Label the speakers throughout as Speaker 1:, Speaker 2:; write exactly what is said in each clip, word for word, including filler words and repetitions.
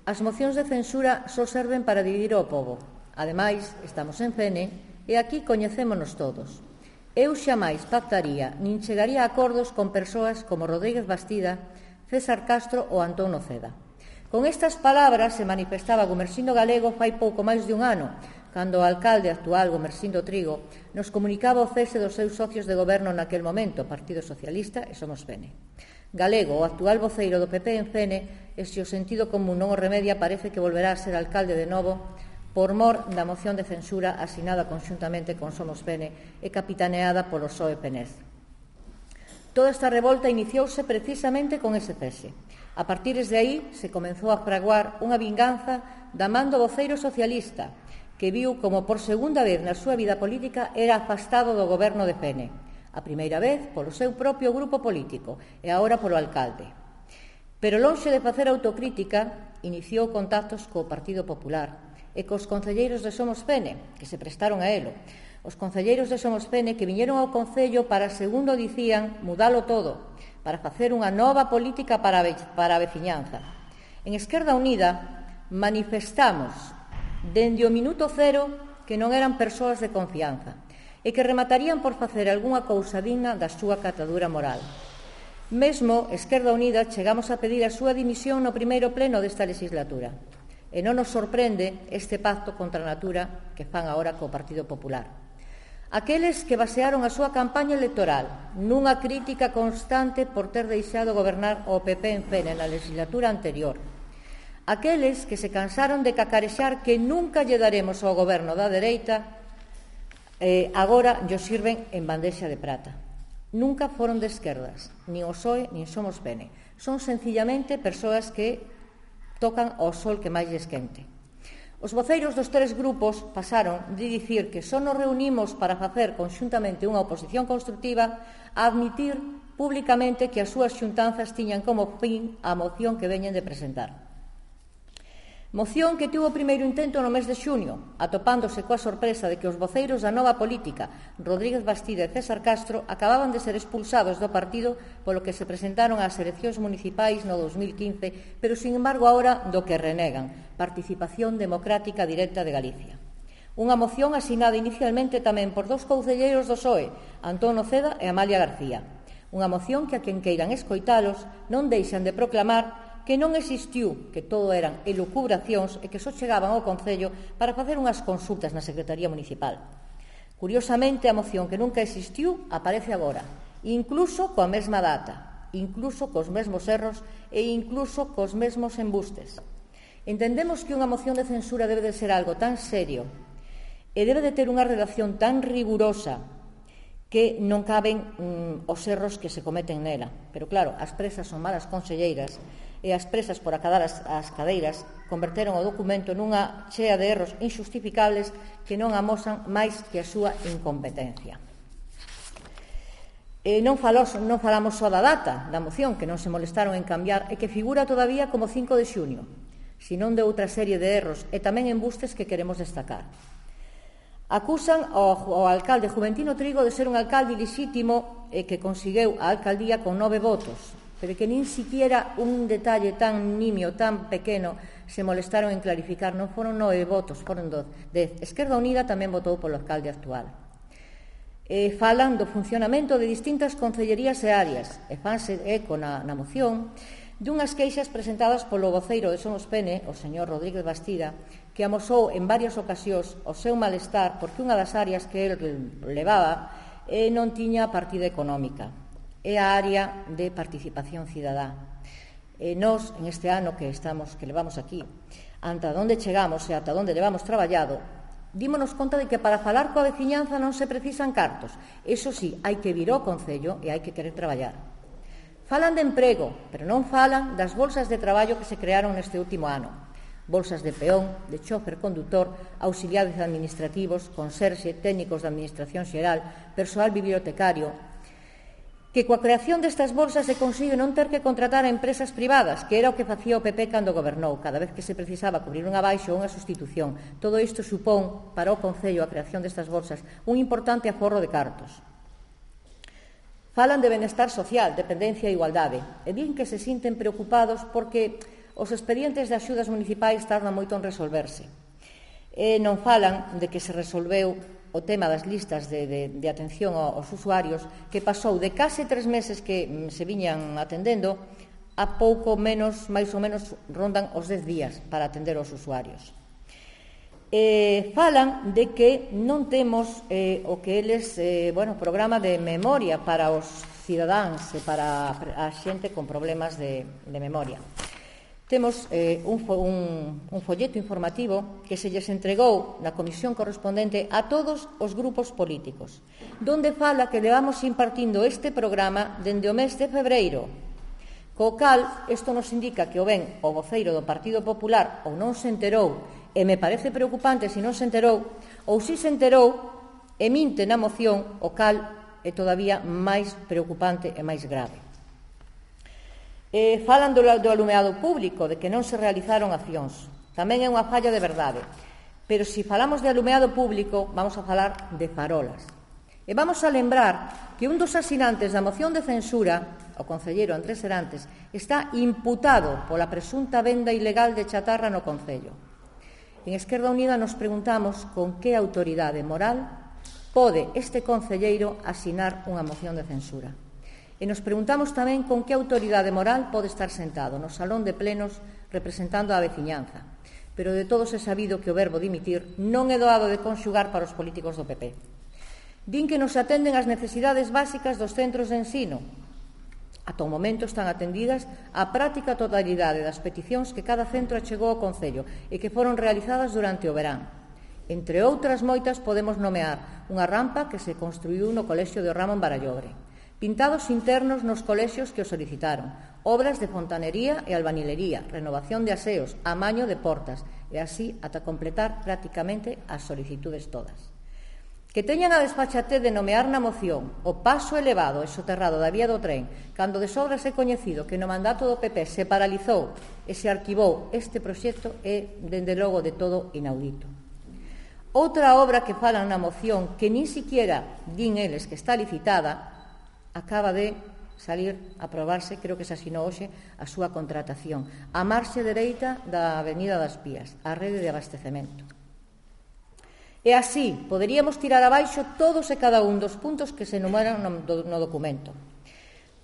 Speaker 1: As mocións de censura só serven para dividir o pobo. Ademais, estamos en C N e aquí coñecémonos todos. Eu xamais pactaría nin chegaría a acordos con persoas como Rodríguez Bastida, César Castro ou Antón Noceda. Con estas palabras se manifestaba Gumersindo Galego fai pouco máis de un ano, cando o alcalde actual, Gumersindo Trigo, nos comunicaba o cese dos seus socios de goberno naquel momento, Partido Socialista e Somos P N. Galego, o actual voceiro do P P en C N, e se o sentido común non o remedia, parece que volverá a ser alcalde de novo por mor da moción de censura asinada conxuntamente con Somos P N e capitaneada polo P S O E P N E Z. Toda esta revolta iniciouse precisamente con ese cese. A partir de aí se comenzou a fraguar unha vinganza da man do voceiro socialista, que viu como por segunda vez na súa vida política era afastado do goberno de P N. A primeira vez polo seu propio grupo político e agora polo alcalde. Pero lonxe de facer autocrítica, iniciou contactos co Partido Popular e cos concelleiros de Somos P N, que se prestaron a elo. Os concelleiros de Somos P N que viñeron ao Concello para, segundo dicían, mudalo todo, para facer unha nova política para a veciñanza. En Esquerda Unida manifestamos dende o minuto cero que non eran persoas de confianza e que rematarían por facer algunha cousa digna da súa catadura moral. Mesmo, Esquerda Unida, chegamos a pedir a súa dimisión no primeiro pleno desta legislatura. E non nos sorprende este pacto contra a natura que fan agora co Partido Popular. Aqueles que basearon a súa campaña electoral nunha crítica constante por ter deixado gobernar o P P en P N na legislatura anterior. Aqueles que se cansaron de cacarexar que nunca lle daremos ao goberno da dereita, eh, agora llo sirven en bandexa de prata. Nunca foron de esquerdas, nin o P S O E, nin Somos P N. Son sencillamente persoas que tocan ao sol que máis lles quente. Os voceiros dos tres grupos pasaron de dicir que só nos reunimos para facer conxuntamente unha oposición constructiva a admitir públicamente que as súas xuntanzas tiñan como fin a moción que veñen de presentar. Moción que tivo o primeiro intento no mes de xuño, atopándose coa sorpresa de que os voceiros da nova política, Rodríguez Bastida e César Castro, acababan de ser expulsados do partido polo que se presentaron ás eleccións municipais no dos mil quince, pero, sin embargo, agora do que renegan, Participación Democrática Directa de Galicia. Unha moción asinada inicialmente tamén por dous concelleiros do P S O E, Antón Noceda e Amalia García. Unha moción que a quen queiran escoitalos non deixan de proclamar que non existiu, que todo eran elucubracións e que só chegaban ao Concello para facer unhas consultas na Secretaría Municipal. Curiosamente, a moción que nunca existiu aparece agora, incluso coa mesma data, incluso cos mesmos erros e incluso cos mesmos embustes. Entendemos que unha moción de censura debe de ser algo tan serio e debe de ter unha redacción tan rigurosa que non caben mm, os erros que se cometen nela. Pero claro, as presas son malas conselleiras e as presas por acadar as, as cadeiras converteron o documento nunha chea de erros injustificables que non amosan máis que a súa incompetencia. E non, falos, non falamos só da data da moción, que non se molestaron en cambiar e que figura todavía como cinco de xuño, senón de outra serie de erros e tamén embustes que queremos destacar. Acusan ao, ao alcalde Juventino Trigo de ser un alcalde ilexítimo e que conseguiu a alcaldía con nove votos, pero que nin siquiera un detalle tan nimio, tan pequeno, se molestaron en clarificar. Non foron nove votos, foron dez. Esquerda Unida tamén votou polo alcalde actual. E falan do funcionamento de distintas concellerías e áreas, e fanse eco na, na moción dunhas queixas presentadas polo voceiro de Somos P N, o señor Rodríguez Bastida, que amosou en varias ocasións o seu malestar porque unha das áreas que el levaba eh, non tiña partida económica. É a área de participación cidadá. E nós, en este ano que estamos, que levamos aquí, ata onde chegamos e ata onde levamos traballado, dímonos conta de que para falar coa veciñanza non se precisan cartos. Eso sí, hai que vir ao Concello e hai que querer traballar. Falan de emprego, pero non falan das bolsas de traballo que se crearon neste último ano. Bolsas de peón, de chofer condutor, auxiliares administrativos, conserxe, técnicos de administración xeral, persoal bibliotecario, que coa creación destas bolsas se consigue non ter que contratar a empresas privadas, que era o que facía o P P cando gobernou, cada vez que se precisaba cubrir unha baixa ou unha sustitución. Todo isto supón, para o Concello, a creación destas bolsas, un importante aforro de cartos. Falan de benestar social, dependencia e igualdade, e din que se sinten preocupados porque os expedientes de axudas municipais tardan moito en resolverse. E non falan de que se resolveu o tema das listas de, de, de atención aos usuarios, que pasou de case tres meses que se viñan atendendo a pouco menos, máis ou menos, rondan os dez días para atender aos usuarios. Eh, falan de que non temos eh, o que eles, eh, bueno, programa de memoria para os cidadáns e para a xente con problemas de, de memoria. Temos eh, un, un, un folleto informativo que se lles entregou na comisión correspondente a todos os grupos políticos, donde fala que levamos impartindo este programa dende o mes de febreiro, co cal isto nos indica que o ben o voceiro do Partido Popular ou non se enterou, e me parece preocupante se non se enterou, ou se se enterou e minte na moción, o cal é todavía máis preocupante e máis grave. Eh, falan do, do alumeado público, de que non se realizaron accións. Tamén é unha falla de verdade. Pero se falamos de alumeado público, vamos a falar de farolas. E vamos a lembrar que un dos asinantes da moción de censura, o concelleiro Andrés Serantes, está imputado pola presunta venda ilegal de chatarra no concello. En Esquerda Unida nos preguntamos con que autoridade moral pode este concelleiro asinar unha moción de censura. E nos preguntamos tamén con que autoridade moral pode estar sentado no salón de plenos representando a veciñanza. Pero de todos é sabido que o verbo dimitir non é doado de conxugar para os políticos do P P. Din que nos atenden as necesidades básicas dos centros de ensino. Ata o momento están atendidas a práctica totalidade das peticións que cada centro achegou ao Concello e que foron realizadas durante o verán. Entre outras moitas podemos nomear unha rampa que se construíu no Colexio de Ramón Barallobre, pintados internos nos colexios que o solicitaron, obras de fontanería e albanilería, renovación de aseos, amaño de portas, e así ata completar prácticamente as solicitudes todas. Que teñan a desfachatez de nomear na moción o paso elevado e soterrado da vía do tren, cando de sobras é coñecido que no mandato do P P se paralizou e se arquivou este proxecto, é, dende logo, de todo inaudito. Outra obra que falan na moción, que nin siquiera din eles que está licitada, acaba de salir a aprobarse, creo que se asinou hoxe, a súa contratación, a marxe dereita da Avenida das Pías, a rede de abastecemento. E así poderíamos tirar abaixo todos e cada un dos puntos que se enumeran no, no documento.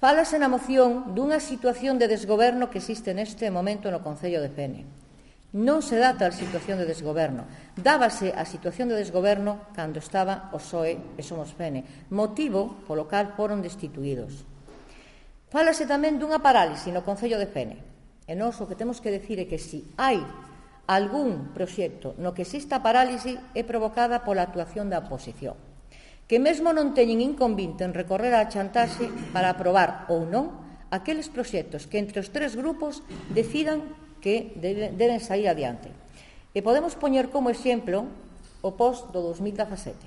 Speaker 1: Fálase na moción dunha situación de desgoberno que existe neste momento no Concello de Fene. Non se dá tal situación de desgoberno. Dábase a situación de desgoberno cando estaba o P S O E e Somos Fene, motivo polo cal foron destituídos. Fálase tamén dunha parálise no Concello de Fene. E nós o que temos que decir é que se hai algún proxecto no que exista parálise é provocada pola actuación da oposición, que mesmo non teñen inconvinte en recorrer á chantaxe para aprobar ou non aqueles proxectos que entre os tres grupos decidan que deben sair adiante. E podemos poñer como exemplo o post do dos mil dezasete,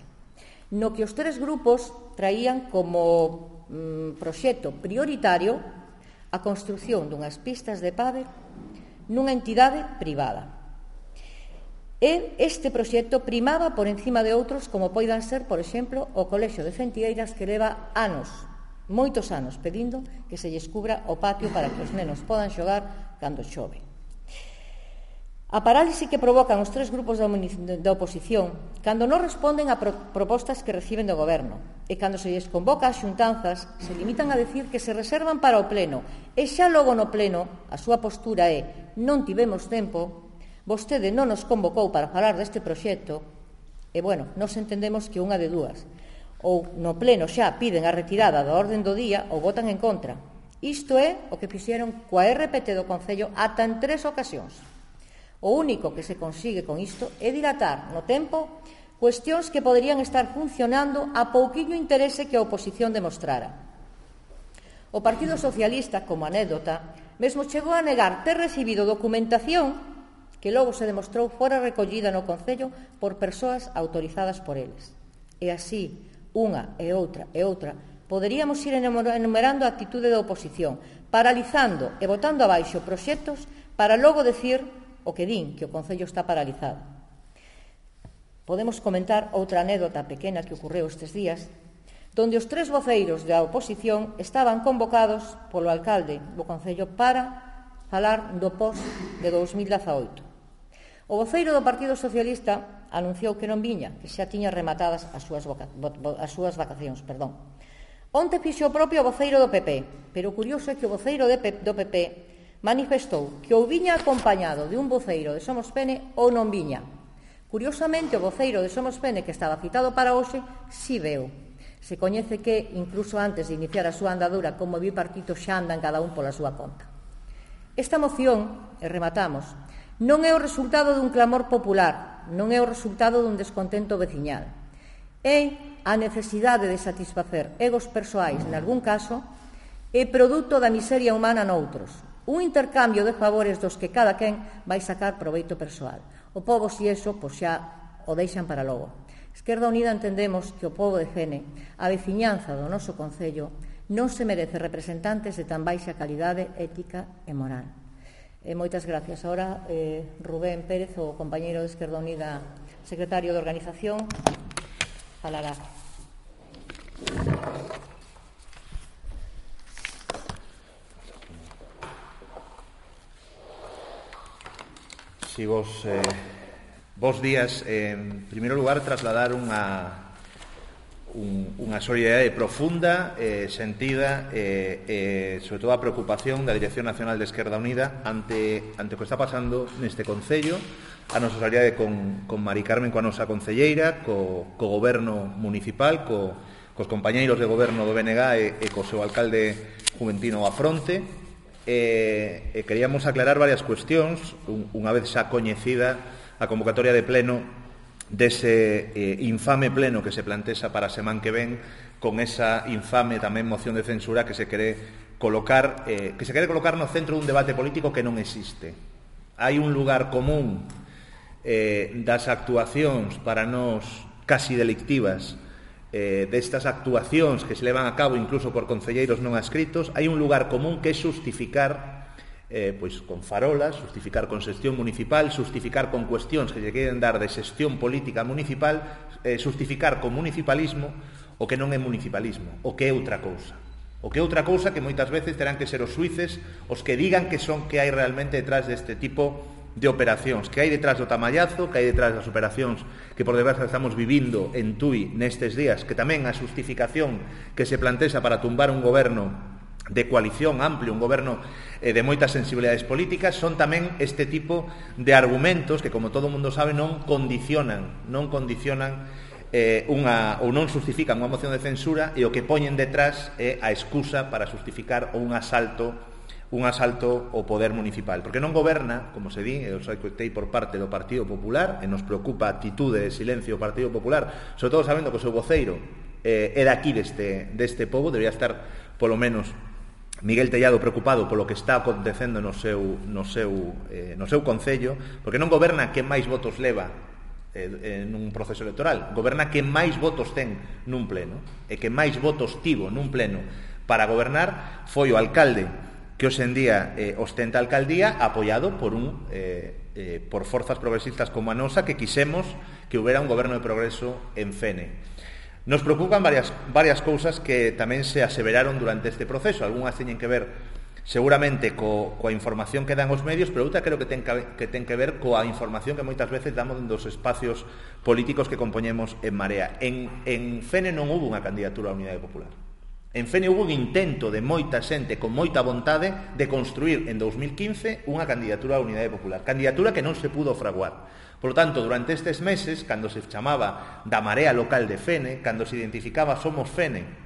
Speaker 1: no que os tres grupos traían como mm, proxecto prioritario a construción dunhas pistas de pádel nunha entidade privada. E este proxecto primaba por encima de outros, como poidan ser, por exemplo, o Colexio de Fentieiras, que leva anos, moitos anos, pedindo que se lles cubra o patio para que os nenos podan xogar cando chove. A parálise que provocan os tres grupos da, da oposición cando non responden a pro, propostas que reciben do Goberno e cando se lles convoca as xuntanzas se limitan a decir que se reservan para o Pleno e xa logo no Pleno a súa postura é non tivemos tempo, vostede non nos convocou para falar deste proxecto e, bueno, nos entendemos que unha de dúas. Ou no Pleno xa piden a retirada da orden do día ou votan en contra. Isto é o que fixeron coa R P T do Concello ata en tres ocasións. O único que se consigue con isto é dilatar no tempo cuestións que poderían estar funcionando a pouquiño interese que a oposición demostrara. O Partido Socialista, como anécdota, mesmo chegou a negar ter recibido documentación que logo se demostrou fora recollida no Concello por persoas autorizadas por eles. E así, unha e outra e outra, poderíamos ir enumerando a actitude da oposición, paralizando e botando abaixo proxectos para logo decir o que din, que o Concello está paralizado. Podemos comentar outra anécdota pequena que ocorreu estes días, donde os tres voceiros da oposición estaban convocados polo alcalde do Concello para falar do pos de dous mil dezaoito. O voceiro do Partido Socialista anunciou que non viña, que xa tiña rematadas as súas, voca as súas vacacións. Perdón. Onte fixo o propio voceiro do P P, pero o curioso é que o voceiro de P do P P manifestou que ou viña acompañado de un voceiro de Somos Fene ou non viña. Curiosamente, o voceiro de Somos Fene, que estaba citado para hoxe, si veu. Se coñece que, incluso antes de iniciar a súa andadura como bipartito, xa andan cada un pola súa conta. Esta moción, e rematamos, non é o resultado dun clamor popular, non é o resultado dun descontento veciñal. É a necesidade de satisfacer egos persoais, nalgún caso, é produto da miseria humana noutros. Un intercambio de favores dos que cada quen vai sacar proveito persoal. O pobo, si eso, pois xa o deixan para logo. Esquerda Unida entendemos que o pobo de Fene, a veciñanza do noso concello, non se merece representantes de tan baixa calidade ética e moral. E moitas gracias. Ahora, eh, Rubén Pérez, o compañeiro de Esquerda Unida, secretario de Organización, falará.
Speaker 2: Sí, vos, eh, vos días, eh, en primeiro lugar, trasladar unha, un, unha solidariedade profunda, eh, sentida, eh, eh, sobre todo a preocupación da Dirección Nacional de Esquerda Unida ante, ante o que está pasando neste Concello, a nosa solidariedade con, con Mari Carmen, coa nosa concelleira, co, co goberno municipal, co, cos compañeiros de goberno do B N G e, e co seu alcalde juventino a fronte. Eh, eh, queríamos aclarar varias cuestións, un, unha vez xa coñecida a convocatoria de pleno dese eh, infame pleno que se plantexa para a semana que ven, con esa infame tamén moción de censura que se quere colocar eh, que se quere colocar no centro dun debate político que non existe. Hai un lugar común eh, das actuacións para nós casi delictivas, Eh, destas actuacións que se levan a cabo incluso por concelleiros non adscritos. Hai un lugar común que é justificar eh, pois con farolas, justificar con xestión municipal, justificar con cuestións que lle queren dar de xestión política municipal, eh, justificar con municipalismo o que non é municipalismo, o que é outra cousa. O que é outra cousa que moitas veces terán que ser os xuíces os que digan que son que hai realmente detrás deste tipo de operacións, que hai detrás do tamallazo, que hai detrás das operacións que por desgracia estamos vivindo en Tui nestes días, que tamén a justificación que se plantexa para tumbar un goberno de coalición amplio, un goberno eh, de moitas sensibilidades políticas, son tamén este tipo de argumentos que, como todo o mundo sabe, non condicionan, non condicionan eh, unha, ou non justifican unha moción de censura, e o que poñen detrás é a excusa para justificar un asalto un asalto ao poder municipal, porque non goberna, como se di, eu sei que tei por parte do Partido Popular, e nos preocupa a actitude de silencio do Partido Popular, sobre todo sabendo que o seu voceiro eh, é daqui deste, deste pobo. Debería estar, polo menos, Miguel Tellado preocupado polo que está acontecendo no seu, no seu, eh, no seu concello, porque non goberna quen máis votos leva eh, nun proceso electoral, goberna quen máis votos ten nun pleno, e quen máis votos tivo nun pleno para gobernar foi o alcalde que hoxe en día eh, ostenta a alcaldía, apoiado por un eh, eh, por forzas progresistas como a nosa, que quisemos que houbera un goberno de progreso en Fene. Nos preocupan varias, varias cousas que tamén se aseveraron durante este proceso. Algúnas teñen que ver seguramente co, coa información que dan os medios, pero outra creo que ten que, que ten que ver coa información que moitas veces damos dos espacios políticos que compoñemos en Marea. En, en Fene non hubo unha candidatura á Unidade Popular. En Fene hubo un intento de moita xente con moita vontade de construir en dous mil quince unha candidatura á Unidade Popular, candidatura que non se pudo fraguar. Por lo tanto, durante estes meses, cando se chamaba da Marea Local de Fene, cando se identificaba Somos Fene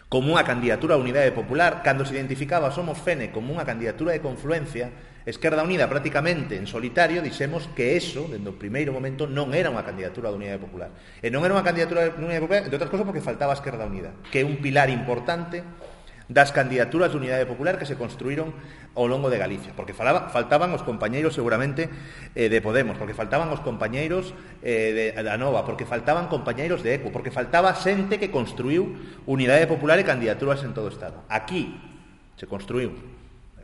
Speaker 2: como unha candidatura á Unidade Popular, cando se identificaba Somos Fene como unha candidatura de confluencia, Esquerda Unida prácticamente en solitario dixemos que eso, dende o primeiro momento, non era unha candidatura da Unidade Popular. E non era unha candidatura da Unidade Popular, entre outras cosas, porque faltaba a Esquerda Unida, que é un pilar importante das candidaturas de Unidade Popular que se construíron ao longo de Galicia, porque falaba, faltaban os compañeiros seguramente eh, de Podemos, porque faltaban os compañeiros eh, de, da Nova, porque faltaban compañeiros de ECO, porque faltaba xente que construiu Unidade Popular e candidaturas en todo o Estado. Aquí se construiu,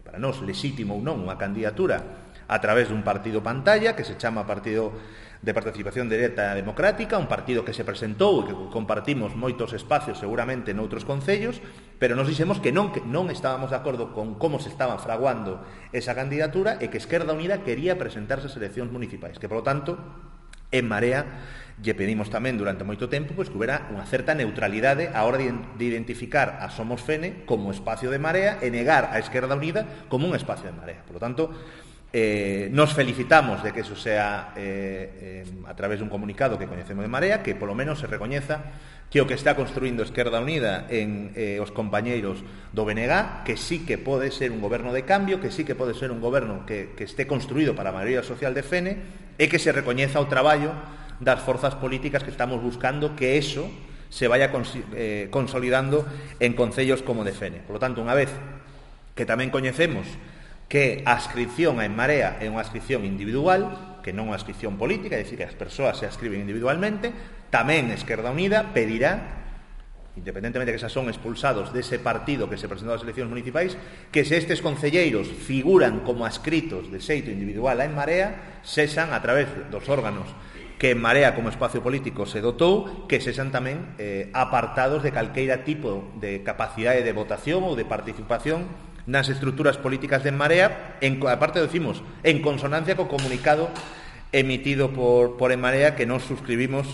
Speaker 2: para nós, lexítimo ou non, unha candidatura a través dun partido pantalla que se chama Partido de Participación Directa Democrática, un partido que se presentou e que compartimos moitos espacios seguramente noutros concellos, pero nos dixemos que non, que non estábamos de acordo con como se estaba fraguando esa candidatura e que Esquerda Unida quería presentarse ás eleccións municipais, que, polo tanto, en Marea lle pedimos tamén durante moito tempo pois, que houbera unha certa neutralidade á hora de, de identificar a Somos Fene como espacio de Marea e negar a Esquerda Unida como un espacio de Marea. Por lo tanto, eh, nos felicitamos de que eso sea eh, eh, a través dun comunicado que coñecemos de Marea, que polo menos se recoñeza que o que está construindo Esquerda Unida en eh, os compañeiros do B N G, que sí que pode ser un goberno de cambio, que sí que pode ser un goberno que, que esté construído para a maioría social de Fene, e que se recoñeza o traballo das forzas políticas que estamos buscando que eso se vaya cons eh, consolidando en concellos como de Fene. Por lo tanto, unha vez que tamén coñecemos que a ascripción en Marea é unha ascripción individual, que non unha ascripción política, é dicir, que as persoas se ascriben individualmente, tamén Esquerda Unida pedirá, independentemente de que esas son expulsados dese partido que se presentou ás eleccións municipais, que se estes concelleiros figuran como ascritos de xeito individual en Marea, sexan a través dos órganos que en Marea como espacio político se dotou, que sexan tamén eh, apartados de calqueira tipo de capacidade de votación ou de participación nas estruturas políticas de Marea, en, aparte decimos, en consonancia co comunicado emitido por, por En Marea, que nos suscribimos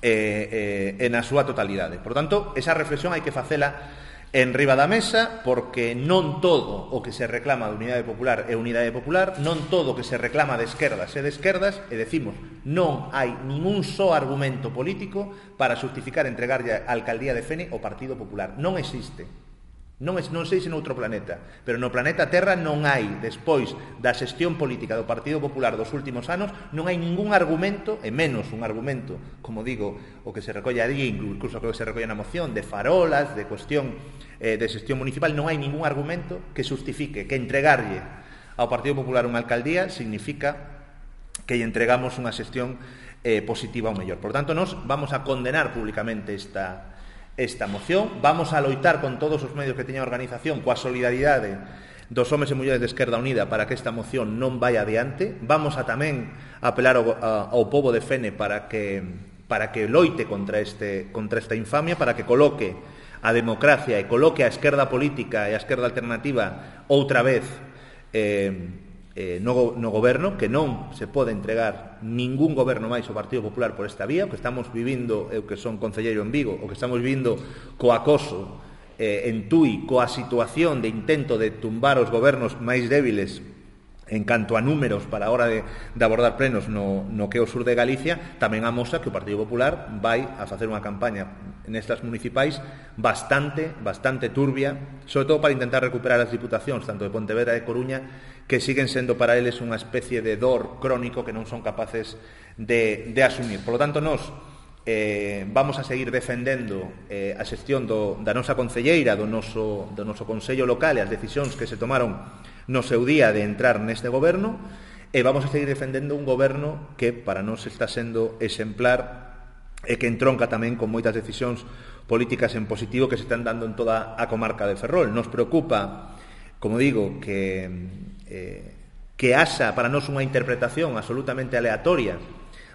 Speaker 2: eh, eh, en a súa totalidade. Por tanto, esa reflexión hai que facela en riba da mesa, porque non todo o que se reclama de Unidade Popular é Unidade Popular, non todo o que se reclama de esquerdas é de esquerdas, e decimos, non hai ningún só argumento político para justificar entregarlle a alcaldía de Fene ao Partido Popular. Non existe. Non, non sei se noutro planeta, pero no planeta Terra non hai, despois da xestión política do Partido Popular dos últimos anos, non hai ningún argumento, e menos un argumento, como digo, o que se recolle ali, incluso o que se recolle na moción, de farolas, de cuestión eh, de xestión municipal, non hai ningún argumento que justifique que entregarlle ao Partido Popular unha alcaldía significa que lle entregamos unha xestión eh, positiva ao mellor. Por tanto, nós vamos a condenar públicamente esta esta moción, vamos a loitar con todos os medios que teña a organización coa solidaridade dos homes e mulleres de Esquerda Unida para que esta moción non vai adiante. Vamos a tamén apelar ao, a, ao pobo de Fene para que para que loite contra este contra esta infamia, para que coloque a democracia e coloque a esquerda política e a esquerda alternativa outra vez eh, eh, no, no goberno, que non se pode entregar ningún goberno máis ao Partido Popular por esta vía. O que estamos vivindo, eu que son concelleiro en Vigo, o que estamos vivindo co acoso eh, en Tui, coa situación de intento de tumbar os gobernos máis débiles en canto a números para a hora de, de abordar plenos no, no que é o sur de Galicia, tamén amosa que o Partido Popular vai a facer unha campaña nestas municipais bastante, bastante turbia, sobre todo para intentar recuperar as diputacións, tanto de Pontevedra e de Coruña, que siguen sendo para eles unha especie de dor crónico que non son capaces de, de asumir. Por lo tanto, nós eh, vamos a seguir defendendo eh, a xestión do, da nosa concelleira, do noso, do noso Consello Local e as decisións que se tomaron no seu día de entrar neste goberno, e vamos a seguir defendendo un goberno que para nós está sendo exemplar e que entronca tamén con moitas decisións políticas en positivo que se están dando en toda a comarca de Ferrol. Nos preocupa, como digo, que, eh, que haxa para nós unha interpretación absolutamente aleatoria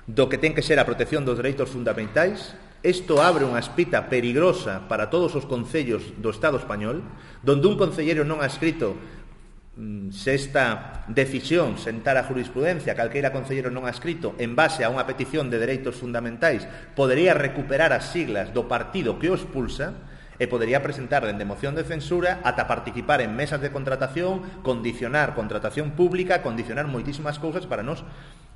Speaker 2: do que ten que ser a protección dos dereitos fundamentais. Isto abre unha espita perigosa para todos os concellos do Estado español, donde un concelleiro non ha escrito se esta decisión sentar a jurisprudencia, calqueira concelleiro non ha escrito en base a unha petición de dereitos fundamentais, podería recuperar as siglas do partido que o expulsa e podería presentar dende moción de censura ata participar en mesas de contratación, condicionar contratación pública, condicionar moitísimas cousas. Para nós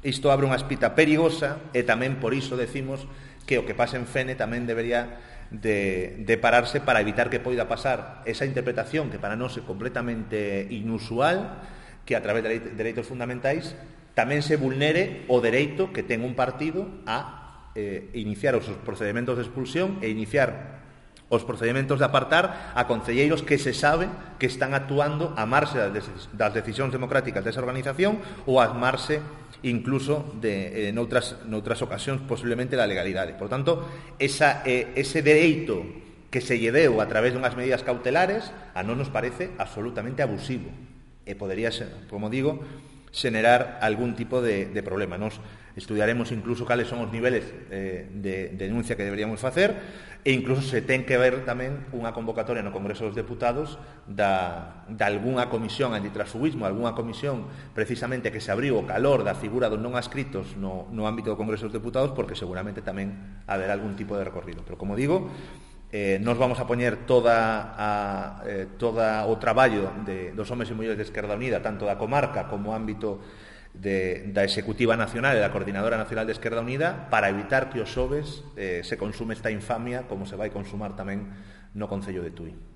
Speaker 2: isto abre unha espita perigosa, e tamén por iso decimos que o que pase en Fene tamén debería De, de pararse para evitar que poida pasar esa interpretación que para nós é completamente inusual, que a través de dereitos fundamentais tamén se vulnere o dereito que ten un partido a eh, iniciar os procedementos de expulsión e iniciar os procedementos de apartar a concelleiros que se sabe que están actuando a marxe das decisións democráticas desa organización ou a marxe incluso de, en outras, noutras ocasións posiblemente da legalidade. Por tanto, esa, eh, ese dereito que se lle deu a través dunhas medidas cautelares a non nos parece absolutamente abusivo, e podería ser, como digo, xenerar algún tipo de, de problema. Nos estudiaremos incluso cales son os niveles eh, de, de denuncia que deberíamos facer e incluso se ten que ver tamén unha convocatoria no Congreso dos Deputados da, da algunha comisión antitransfugismo, algunha comisión precisamente que se abriu o calor da figura dos non adscritos no, no ámbito do Congreso dos Deputados, porque seguramente tamén haberá algún tipo de recorrido. Pero, como digo, eh, nos vamos a poñer toda a, eh, toda o traballo de, dos homes e mulleres de Esquerda Unida, tanto da comarca como ámbito de, da Executiva Nacional e da Coordinadora Nacional de Esquerda Unida, para evitar que os xoves eh, se consume esta infamia como se vai consumar tamén no Concello de Tui.